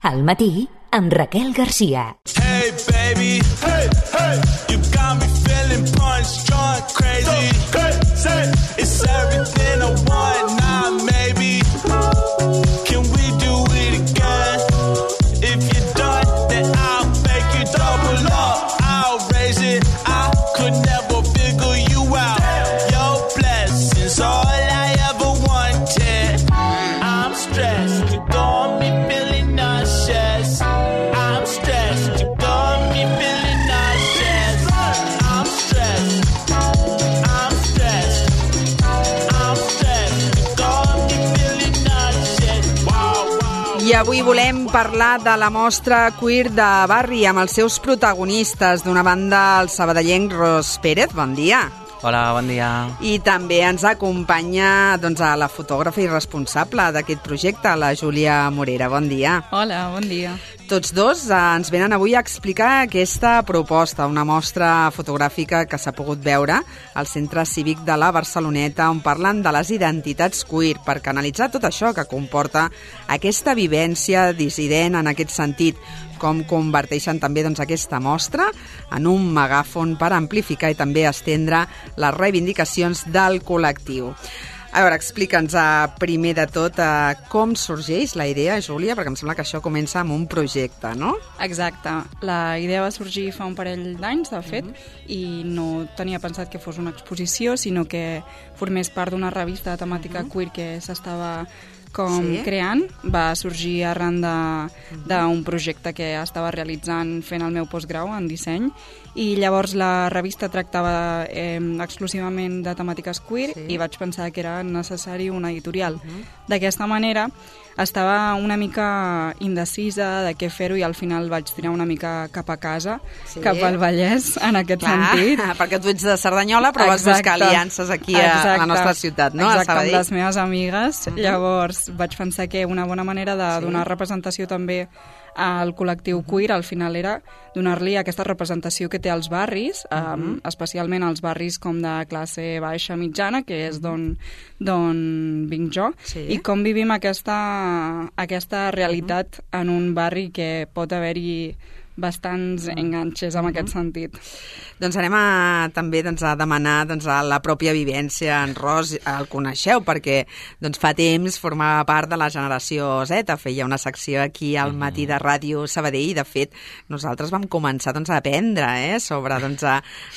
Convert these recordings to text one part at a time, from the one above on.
Al matí, amb Raquel Garcia. Hey baby, hey, hey, you got me feeling punch drunk, crazy. It's everything I want now, maybe. Can we do it again? If you're done, then I'll make you double up. I'll raise it, I could never figure you out. Your blessings, all I ever wanted. I'm stressed, you got me feeling nauseous. I'm stressed, you got me feeling nauseous. I'm stressed, I'm stressed, I'm stressed, you got me feeling nauseous. Wow, wow. I avui volem parlar de la mostra Queer de Barri amb els seus protagonistes. D'una banda, el sabadellenc Ros Pérez, bon dia. Hola, bon dia. I també ens acompanya a la fotògrafa i responsable d'aquest projecte, la Júlia Morera. Bon dia. Hola, bon dia. Tots dos ens venen avui a explicar aquesta proposta, una mostra fotogràfica que s'ha pogut veure al Centre Cívic de la Barceloneta, on parlen de les identitats queer, per canalitzar tot això que comporta aquesta vivència dissident en aquest sentit, com converteixen també aquesta mostra en un megàfon per amplificar i també estendre les reivindicacions del col·lectiu. A veure, explica'ns primer de tot com sorgeix la idea, Júlia, perquè em sembla que això comença amb un projecte, no? Exacte. La idea va sorgir fa un parell d'anys, de fet, i no tenia pensat que fos una exposició, sinó que formés part d'una revista de temàtica queer que s'estava creant. Va sorgir arran d'un projecte que estava realitzant fent el meu postgrau en disseny, i llavors la revista tractava exclusivament de temàtiques queer i vaig pensar que era necessari una editorial. D'aquesta manera estava una mica indecisa de què fer-ho i al final vaig tirar una mica cap a casa, cap al Vallès, en aquest sentit. Perquè tu ets de Cerdanyola, però vas buscar aliances aquí a la nostra ciutat, no? Exacte, amb les meves amigues. Llavors vaig pensar que una bona manera de donar representació també al col·lectiu queer al final era donar-li aquesta representació que té als barris, especialment als barris com de classe baixa mitjana, que és d'on vinc jo, i com vivim aquesta realitat en un barri que pot haver-hi bastants enganxes en aquest sentit. Doncs anem també a demanar a la pròpia vivència. En Ros el coneixeu perquè fa temps formava part de la generació Z, feia una secció aquí al matí de Ràdio Sabadell i de fet nosaltres vam començar a aprendre sobre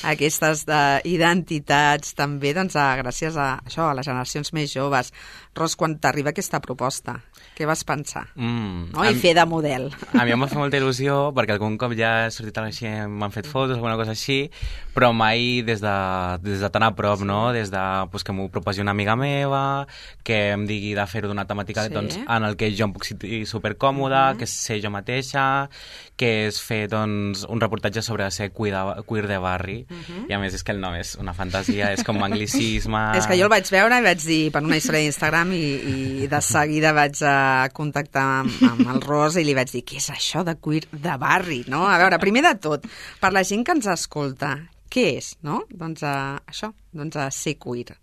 aquestes identitats també gràcies a això, a les generacions més joves. Ros, quan t'arriba aquesta proposta, què vas pensar? I fer de model. A mi em va fer molta il·lusió perquè algun cop ja he sortit així, m'han fet fotos, alguna cosa així, però mai des de tan a prop, no? Des de que m'ho proposi una amiga meva, que em digui de fer-ho d'una temàtica en el que jo em puc sentir supercòmoda, que sé jo mateixa, que és fer un reportatge sobre ser queer de barri, i a més és que el nom és una fantasia, és com anglicisme... És que jo el vaig veure i vaig dir per una història d'Instagram i de seguida vaig contactar amb el Ros i li vaig dir, què és això de queer de barri, no? A veure, primer de tot, per la gent que ens escolta, què és, no? Això, ser queer.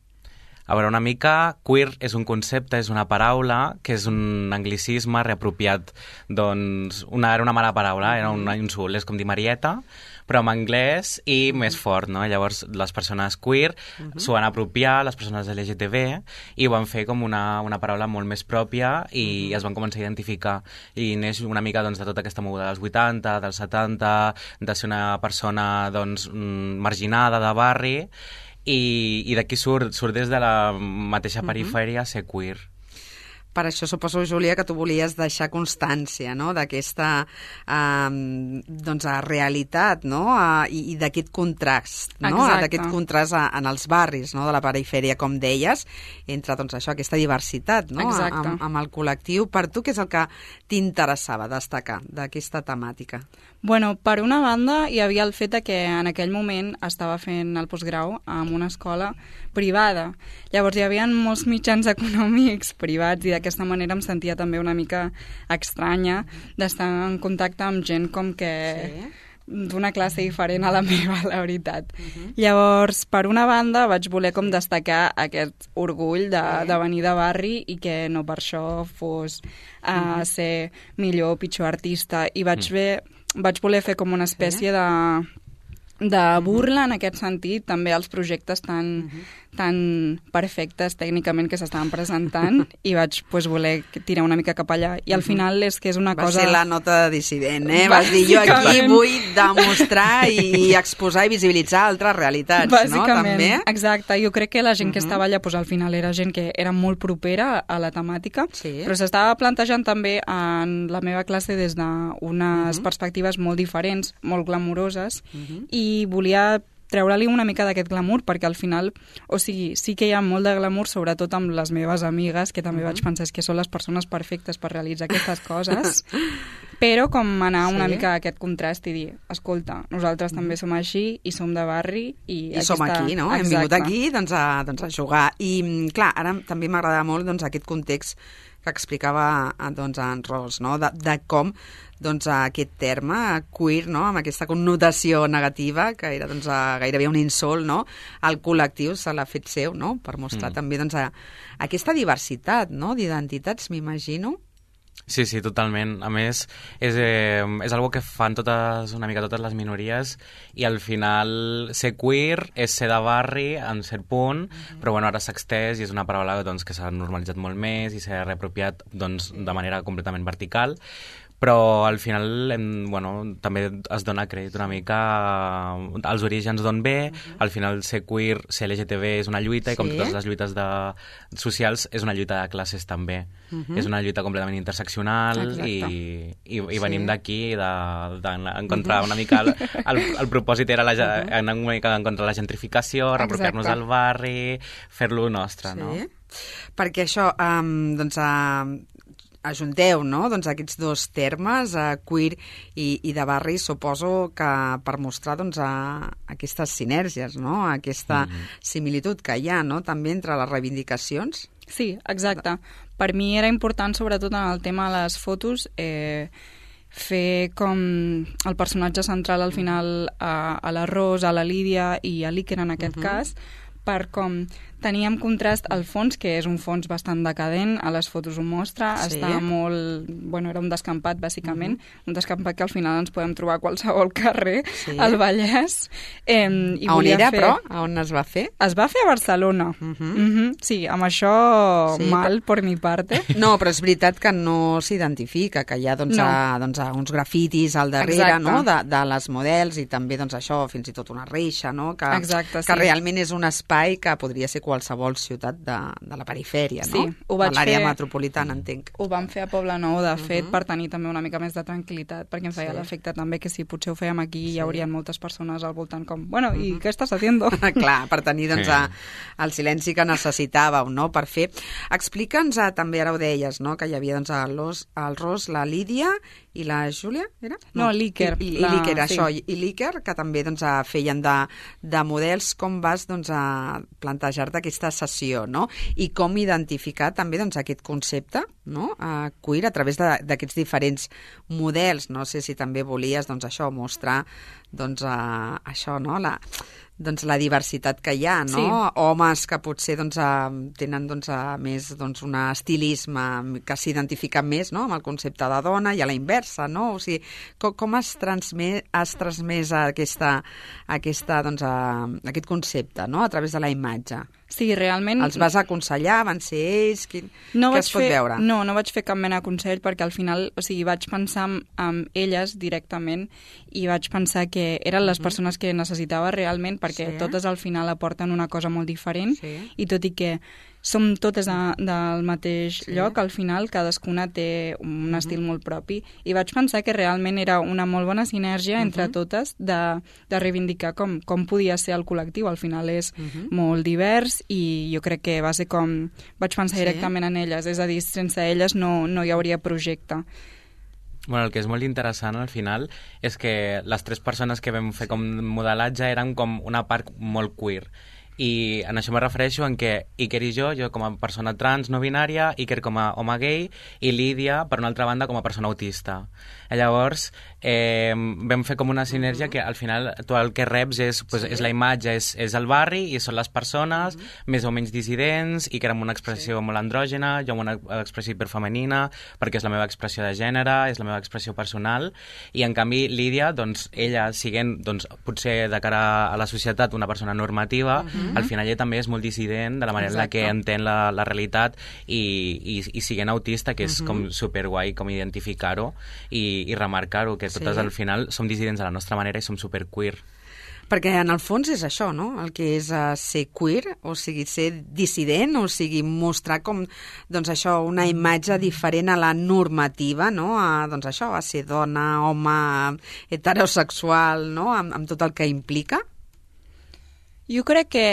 A veure, una mica, queer és un concepte, és una paraula, que és un anglicisme reapropiat, era una mala paraula, era un insult, és com dir Marieta, però en anglès i més fort, no? Llavors, les persones queer s'ho van apropiar, les persones LGTB, i ho van fer com una paraula molt més pròpia i es van començar a identificar. I neix una mica de tota aquesta moguda dels 80, dels 70, de ser una persona marginada de barri, i d'aquí surt des de la mateixa perifèria ser queer. Per això suposo, Júlia, que tu volies deixar constància, no?, d'aquesta realitat, no?, i d'aquest contrast, no?, d'aquest contrast en els barris, no?, de la perifèria, com deies, entre això, aquesta diversitat, no?, amb el col·lectiu. Per tu, què és el que t'interessava destacar d'aquesta temàtica? Bueno, per una banda, hi havia el fet que en aquell moment estava fent el postgrau en una escola privada. Llavors hi havia molts mitjans econòmics privats i d'aquesta manera em sentia també una mica estranya d'estar en contacte amb gent com que d'una classe diferent a la meva, la veritat. Llavors, per una banda, vaig voler com destacar aquest orgull de venir de barri i que no per això fos ser millor o pitjor artista. I vaig voler fer com una espècie de burla en aquest sentit, també els projectes tan perfectes tècnicament que s'estaven presentant i vaig voler tirar una mica cap allà. I al final és que és una cosa... Va ser la nota de dissident, eh? Vas dir, jo aquí vull demostrar i exposar i visibilitzar altres realitats, bàsicament, no? També. Exacte. Jo crec que la gent que estava allà, al final era gent que era molt propera a la temàtica, però s'estava plantejant també en la meva classe des d'unes perspectives molt diferents, molt glamuroses, i volia treure-li una mica d'aquest glamour, perquè al final, o sigui, sí que hi ha molt de glamour, sobretot amb les meves amigues, que també vaig pensar que són les persones perfectes per realitzar aquestes coses, però com anar una mica a aquest contrast i dir, escolta, nosaltres també som així i som de barri i som aquí, no? Hem vingut aquí a jugar. I clar, ara també m'agrada molt aquest context que explicava en Ros, no? De com aquest terme queer, no? Amb aquesta connotació negativa, que era gairebé un insult, no? Al col·lectiu se l'ha fet seu, no? Per mostrar també aquesta diversitat, no? D'identitats, m'imagino. Sí, totalment. A més, és algo que fan una mica totes les minories i al final ser queer és ser de barri en cert punt, però bueno, ara s'ha extès i és una paraula que s'ha normalitzat molt més i s'ha reapropiat de manera completament vertical. Però al final també es dona crèdit una mica als orígens d'on ve. Al final ser queer, ser LGTB és una lluita i com totes les lluites socials és una lluita de classes també. És una lluita completament interseccional i venim d'aquí d'encontrar una mica el propòsit era anar una mica en contra de la gentrificació, reapropiar-nos del barri, fer-lo nostre, no? Perquè això, ajunteu, no?, aquests dos termes, queer i de barri, suposo que per mostrar aquestes sinergies, no?, aquesta similitud que hi ha, no?, també entre les reivindicacions. Sí, exacte. Per mi era important, sobretot en el tema de les fotos, fer com el personatge central al final a la Ros, a la Lídia i a l'Iker en aquest cas, per com teníem contrast al fons, que és un fons bastant decadent, a les fotos ho mostra, està molt... Bueno, era un descampat, bàsicament, un descampat que al final ens podem trobar a qualsevol carrer, al Vallès. On era, però? On es va fer? Es va fer a Barcelona. Sí, amb això mal, per mi parte. No, però és veritat que no s'identifica, que hi ha uns grafitis al darrere, no?, de les models, i també això, fins i tot una reixa, no?, que realment és un espai que podria ser qualsevol ciutat de la perifèria, no? Sí, ho vaig fer... De l'àrea metropolitana, entenc. Ho vam fer a Poblenou, de fet, per tenir també una mica més de tranquil·litat, perquè em feia l'efecte també que si potser ho fèiem aquí hi haurien moltes persones al voltant com, bueno, i què estàs haciendo? Clar, per tenir el silenci que necessitàveu, no?, per fer. Explica'ns també, ara ho deies, no?, que hi havia el Ros, la Lídia i la Júlia, era? No, l'Iker. I l'Iker, això. I l'Iker, que també feien de models. Com vas a plantejar-te aquesta sessió, no? I com identificar també aquest concepte, no?, queer a través d'aquests diferents models. No sé si també volies això, mostrar això, no?, la diversitat que hi ha, no? Sí. Homes que potser tenen més un estilisme que s'identifica més, no?, amb el concepte de dona, i a la inversa, no? O sigui, com has transmès aquest concepte, no?, a través de la imatge? Sí, realment... Els vas aconsellar? Van ser ells? Què es pot veure? No vaig fer cap mena de consell, perquè al final, o sigui, vaig pensar en elles directament i vaig pensar que eren les persones que necessitava realment, perquè totes al final aporten una cosa molt diferent, i tot i que som totes del mateix lloc, al final cadascuna té un estil molt propi, i vaig pensar que realment era una molt bona sinergia entre totes de reivindicar com podia ser el col·lectiu. Al final és molt divers, i jo crec que va ser com... Vaig pensar directament en elles, és a dir, sense elles no hi hauria projecte. Bueno, el que és molt interessant al final és que les tres persones que vam fer com modelatge eren com una part molt queer. I en això me refereixo en què Iker i jo com a persona trans no binària, Iker com a home gay i Lídia, per una altra banda, com a persona autista. Llavors, vam fer com una sinergia que al final tu el que reps és la imatge, és el barri i són les persones més o menys dissidents, i que era amb una expressió molt andrògena, jo amb una expressió hiperfemenina, perquè és la meva expressió de gènere, és la meva expressió personal, i en canvi Lídia, doncs, ella siguent, doncs, potser de cara a la societat una persona normativa, al final ella també és molt dissident de la manera en la que entén la realitat i siguent autista, que és com superguai com identificar-ho i remarcar-ho, que totes al final som dissidents a la nostra manera i som superqueer. Perquè en el fons és això, no? El que és ser queer, o sigui, ser dissident, o sigui, mostrar com, doncs això, una imatge diferent a la normativa, no? Doncs això, a ser dona, home, heterosexual, no? Amb tot el que implica. Jo crec que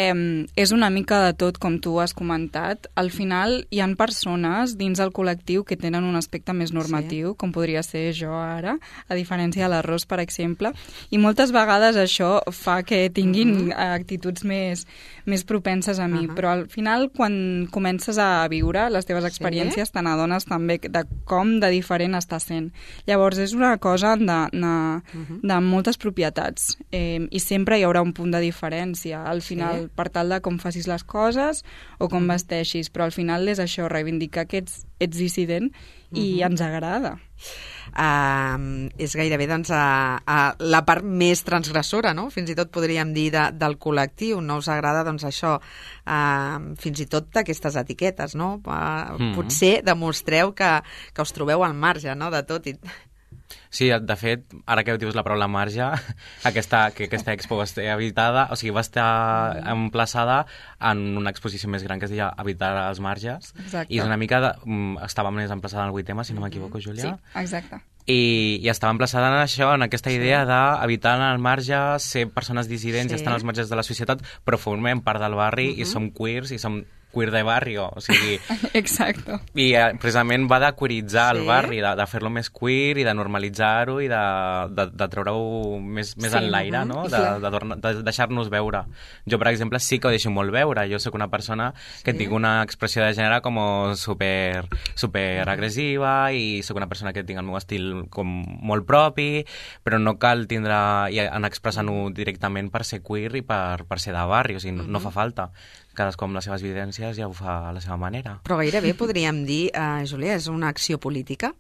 és una mica de tot, com tu has comentat. Al final hi han persones dins el col·lectiu que tenen un aspecte més normatiu, com podria ser jo ara, a diferència de l'Arròs, per exemple, i moltes vegades això fa que tinguin actituds més propenses a mi, però al final quan comences a viure les teves experiències te n'adones també de com de diferent està sent. Llavors és una cosa de moltes propietats i sempre hi haurà un punt de diferència al final, per tal de com facis les coses o com vesteixis, però al final és això, reivindicar que ets dissident i ens agrada. És gairebé doncs, la part més transgressora, no? Fins i tot podríem dir del col·lectiu. No us agrada doncs, això, fins i tot d'aquestes etiquetes, no? Potser demostreu que us trobeu al marge, no?, de tot. Sí, de fet, ara que dius la paraula marge, que aquesta expo va estar habitada, o sigui, va estar emplaçada en una exposició més gran que es deia Habitar als marges. Exacte. I és una mica estava més emplaçada en el 8M, si no m'equivoco, Júlia. Sí, exacte. I estava emplaçada en això, en aquesta idea d'habitar al marge, ser persones dissidents i estar als marges de la societat, però formem part del barri i som queers i som queer de barrio, o sigui... Exacte. I precisament va de queeritzar el barri, de fer-lo més queer i de normalitzar-ho i de treure-ho més en l'aire, no? De deixar-nos veure. Jo, per exemple, sí que ho deixo molt veure. Jo sóc una persona que tinc una expressió de gènere com super agressiva i sóc una persona que tinc el meu estil com molt propi, però no cal tindre i anar expressant-ho directament per ser queer i per ser de barri, o sigui, no fa falta. Cadascú amb les seves evidències ja ho fa a la seva manera. Però gairebé podríem dir, Júlia, és una acció política?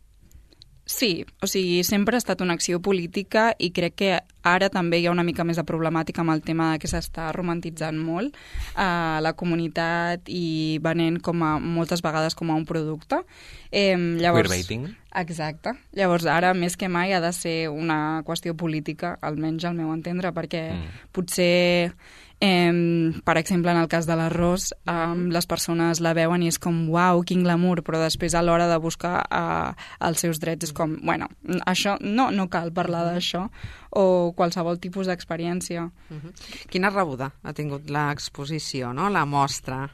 Sí, o sigui, sempre ha estat una acció política i crec que ara també hi ha una mica més de problemàtica amb el tema que s'està romantitzant molt a la comunitat i venent moltes vegades com a un producte. Llavors, queerbaiting. Exacte. Llavors, ara més que mai ha de ser una qüestió política, almenys al meu entendre, perquè potser... per exemple, en el cas de l'Arròs, les persones la veuen i és com, uau, quin glamour, però després a l'hora de buscar els seus drets és com, bueno, això no cal parlar d'això, o qualsevol tipus d'experiència. Quina rebuda ha tingut l'exposició, no? La mostra?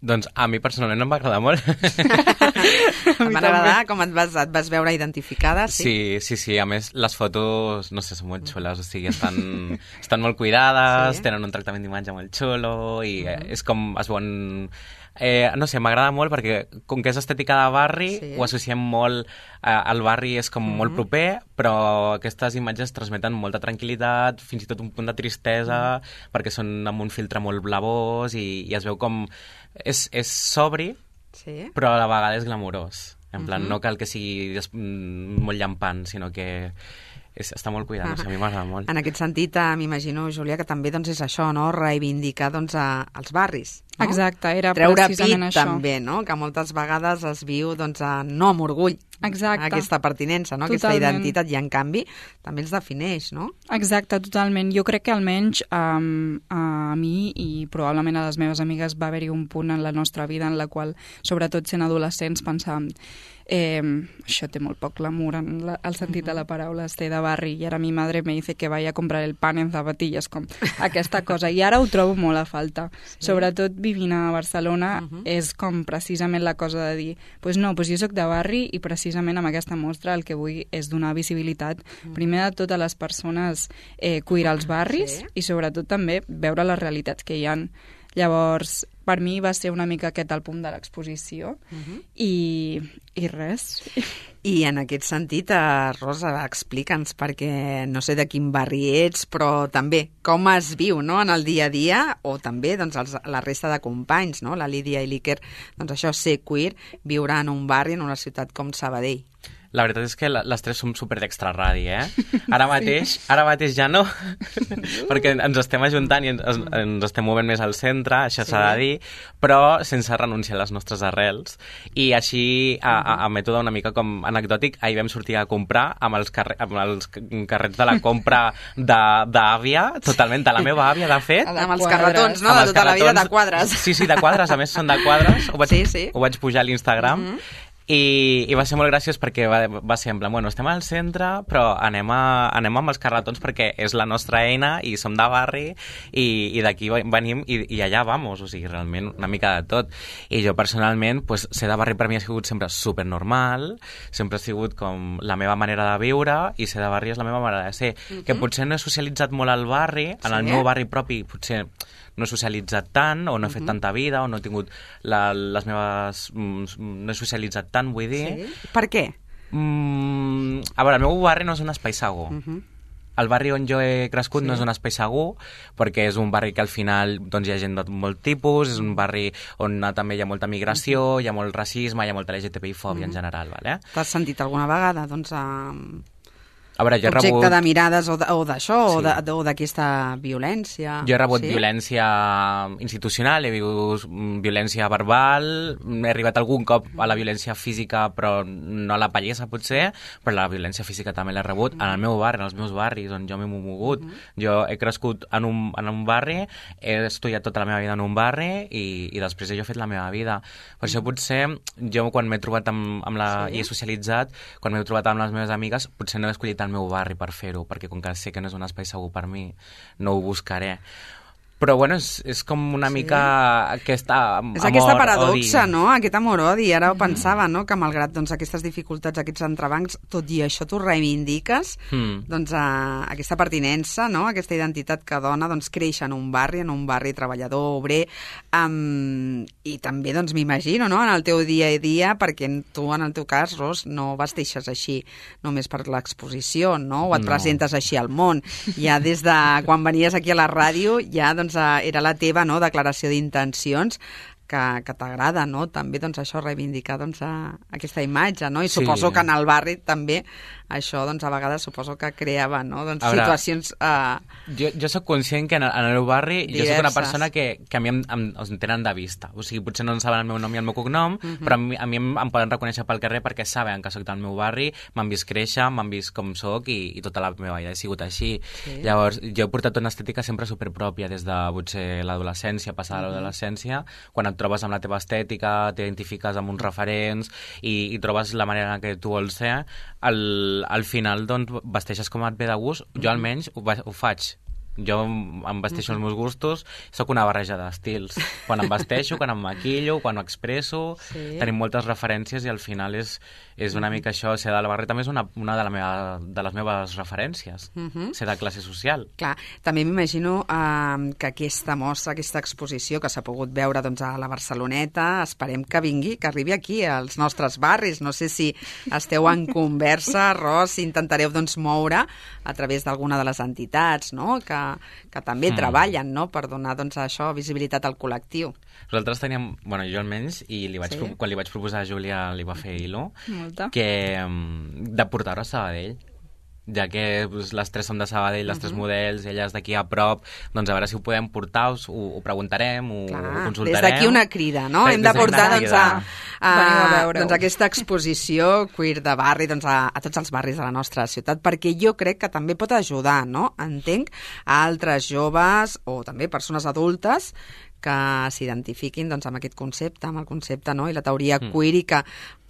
Doncs a mi personalment no em va agradar molt. Em va agradar com et vas veure identificada, sí? Sí. A més, les fotos, no sé, són molt xules, o sigui, estan molt cuidades, tenen un tractament d'imatge molt xulo i és com es veuen... no sé, m'agrada molt perquè com que és estètica de barri, ho associem molt al barri, és com molt proper, però aquestes imatges transmeten molta tranquil·litat, fins i tot un punt de tristesa, perquè són amb un filtre molt blavós i es veu com... És sobri, però a la vegada és glamurós. En plan, no cal que sigui molt llampant, sinó que està molt cuidat, no sé, a mi m'agrada molt. En aquest sentit, m'imagino, Júlia, que també doncs, és això, no? Reivindicar doncs, els barris. No? Exacte, era treure precisament pit, això. també, no? Que moltes vegades es viu doncs, no amb orgull. Exacte. Aquesta pertinença, no? Aquesta identitat, i en canvi també els defineix, no? Exacte, totalment. Jo crec que almenys a mi i probablement a les meves amigues va haver-hi un punt en la nostra vida en la qual, sobretot sent adolescents, pensàvem això té molt poc glamour en el sentit de la paraula, té de barri, i ara mi madre me dice que vaya a comprar el pan en zapatillas, com aquesta cosa, i ara ho trobo molt a falta. Sobretot vivint a Barcelona és com precisament la cosa de dir pues no, pues jo soc de barri i precisament amb aquesta mostra el que vull és donar visibilitat primer de tot a les persones queer als barris i sobretot també veure les realitats que hi ha. Llavors, per mi va ser una mica aquest el punt de l'exposició i res. I en aquest sentit, Rosa, explica'ns, perquè no sé de quin barri ets, però també com es viu, no?, en el dia a dia, o també doncs, la resta de companys, no?, la Lídia i l'Iker, doncs això, ser queer, viure en un barri, en una ciutat com Sabadell. La veritat és que les tres som super d'extraradi, Ara mateix ja no, perquè ens estem ajuntant i ens estem movent més al centre, això s'ha de dir, però sense renunciar a les nostres arrels. I així, a mètode una mica com anecdòtic, ahir vam sortir a comprar amb els carrets de la compra d'àvia, totalment, de la meva àvia, de fet. Amb els carretons, no?, de tota la vida, de quadres. Sí, de quadres, a més són de quadres, ho vaig pujar a l'Instagram. I va ser molt graciós perquè va ser en plan, bueno, estem al centre, però anem amb els carretons perquè és la nostra eina i som de barri i d'aquí venim i allà vamos, o sigui, realment una mica de tot. I jo personalment, pues, ser de barri per mi ha sigut sempre supernormal, sempre ha sigut com la meva manera de viure i ser de barri és la meva manera de ser. Que potser no he socialitzat molt al barri, en el meu barri propi potser no he socialitzat tant, o no he fet tanta vida, o no he tingut les meves... no he socialitzat tant, vull dir. Sí? Per què? A veure, el meu barri no és un espai segur. El barri on jo he crescut no és un espai segur, perquè és un barri que al final doncs, hi ha gent de molt tipus, és un barri on també hi ha molta migració, hi ha molt racisme, hi ha molta LGTBI-fòbia en general, vale? T'has sentit alguna vegada, doncs, a veure, jo he objecte rebut... de mirades o d'això, o d'aquesta violència? Jo he rebut violència institucional, he vist violència verbal, he arribat algun cop a la violència física, però no a la pallissa, potser, però la violència física també l'he rebut en el meu barri, en els meus barris, on jo m'he mogut. Jo he crescut en un barri, he estudiat tota la meva vida en un barri i després jo he fet la meva vida. Per això potser jo quan m'he trobat i he socialitzat, quan m'he trobat amb les meves amigues, potser no he escollit el meu barri per fer-ho, perquè com que sé que no és un espai segur per mi, no ho buscaré. Però, bueno, és com una mica aquesta amor-odi. És aquesta paradoxa, no?, aquest amor-odi. Ara ho pensava, no?, que malgrat doncs, aquestes dificultats, aquests entrebancs, tot i això tu reivindiques doncs, aquesta pertinença, no?, aquesta identitat que dona doncs, creix en un barri treballador, obrer, i també doncs, m'imagino, no?, en el teu dia a dia, perquè tu, en el teu cas, Ros, no vesteixes així només per l'exposició, no?, o et presentes així al món. Ja des de quan venies aquí a la ràdio, ja doncs, era la teva, no?, declaració d'intencions que t'agrada, no?, també doncs, això reivindicar doncs, aquesta imatge, no?, i suposo que en el barri també això doncs, a vegades suposo que creava, no?, doncs, situacions... Jo soc conscient que en el meu barri jo soc una persona que a mi em tenen de vista, o sigui, potser no en saben el meu nom i el meu cognom, però a mi em poden reconèixer pel carrer perquè saben que soc del meu barri, m'han vist créixer, m'han vist com soc i tota la meva vida ha sigut així. Llavors, jo he portat una estètica sempre superpròpia des de potser l'adolescència, passada l'adolescència, quan et trobes amb la teva estètica, t'identifiques amb uns referents i trobes la manera en què tu vols ser, al final doncs, vesteixes com et ve de gust. Jo almenys ho faig. Jo em vesteixo els meus gustos, sóc una barreja d'estils. Quan em vesteixo, quan em maquillo, quan ho expresso, tenim moltes referències i al final és una mica això. Ser de la barri també és una de les meves referències, ser de classe social. Clar, també m'imagino que aquesta mostra, aquesta exposició que s'ha pogut veure doncs, a la Barceloneta, esperem que vingui, que arribi aquí, als nostres barris. No sé si esteu en conversa, Ros, si intentareu doncs, moure a través d'alguna de les entitats, no?, que també treballen, no?, per donar doncs, això, visibilitat al col·lectiu. Nosaltres teníem, bueno, jo almenys, i quan li vaig proposar a Júlia, li va fer il·lo, que de portar-ho a Sabadell, ja que les tres som de Sabadell, les tres models, elles d'aquí a prop, doncs a veure si ho podem portar, ho preguntarem, ho consultarem. Des d'aquí una crida, no? Hem de portar doncs, aquesta exposició queer de barri doncs, a tots els barris de la nostra ciutat, perquè jo crec que també pot ajudar, no? Entenc, a altres joves o també persones adultes que s'identifiquin doncs, amb aquest concepte, amb el concepte, no? I la teoria queer, i que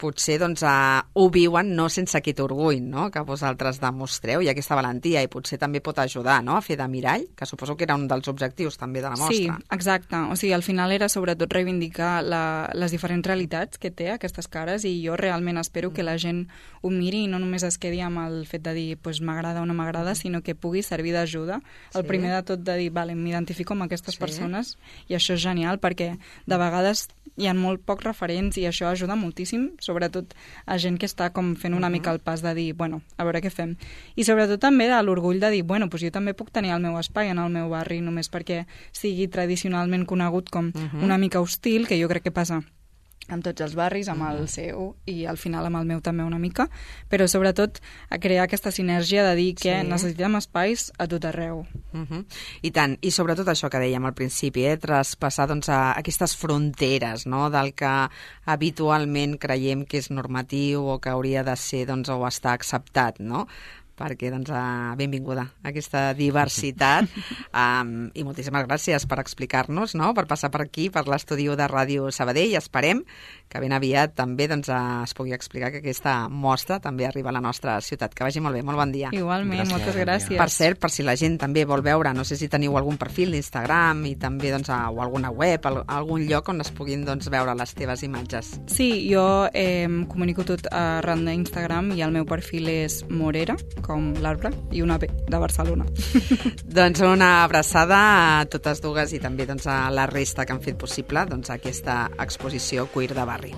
potser doncs, ho viuen no sense aquest orgull, no? Que vosaltres demostreu, i aquesta valentia, i potser també pot ajudar, no? A fer de mirall, que suposo que era un dels objectius també de la mostra. Sí, exacte. O sigui, al final era sobretot reivindicar les diferents realitats que té aquestes cares, i jo realment espero que la gent ho miri i no només es quedi amb el fet de dir pues, m'agrada o no m'agrada, sinó que pugui servir d'ajuda. El primer de tot de dir, vale, m'identifico amb aquestes persones, i això és genial perquè de vegades hi ha molt pocs referents i això ajuda moltíssim, sobretot a gent que està com fent una mica el pas de dir, bueno, a veure què fem. I sobretot també de l'orgull de dir, bueno, pues jo també puc tenir el meu espai en el meu barri, només perquè sigui tradicionalment conegut com una mica hostil, que jo crec que passa amb tots els barris, amb el seu i al final amb el meu també una mica, però sobretot a crear aquesta sinergia de dir que necessitem espais a tot arreu. I tant, i sobretot això que dèiem al principi, traspassar doncs, a aquestes fronteres, no?, del que habitualment creiem que és normatiu o que hauria de ser doncs, o estar acceptat, no?, perquè doncs, benvinguda a aquesta diversitat i moltíssimes gràcies per explicar-nos, no?, per passar per aquí, per l'estudi de Ràdio Sabadell. Esperem que ben aviat també doncs, es pugui explicar que aquesta mostra també arriba a la nostra ciutat. Que vagi molt bé, molt bon dia. Igualment, moltes gràcies. Per cert, per si la gent també vol veure, no sé si teniu algun perfil d'Instagram i també doncs, o alguna web, algun lloc on es puguin doncs, veure les teves imatges. Sí, jo comunico tot arran d'Instagram i el meu perfil és Morera, com l'arbre, i una B de Barcelona. Doncs una abraçada a totes dues i també doncs, a la resta que han fet possible doncs, aquesta exposició Queer de Barri.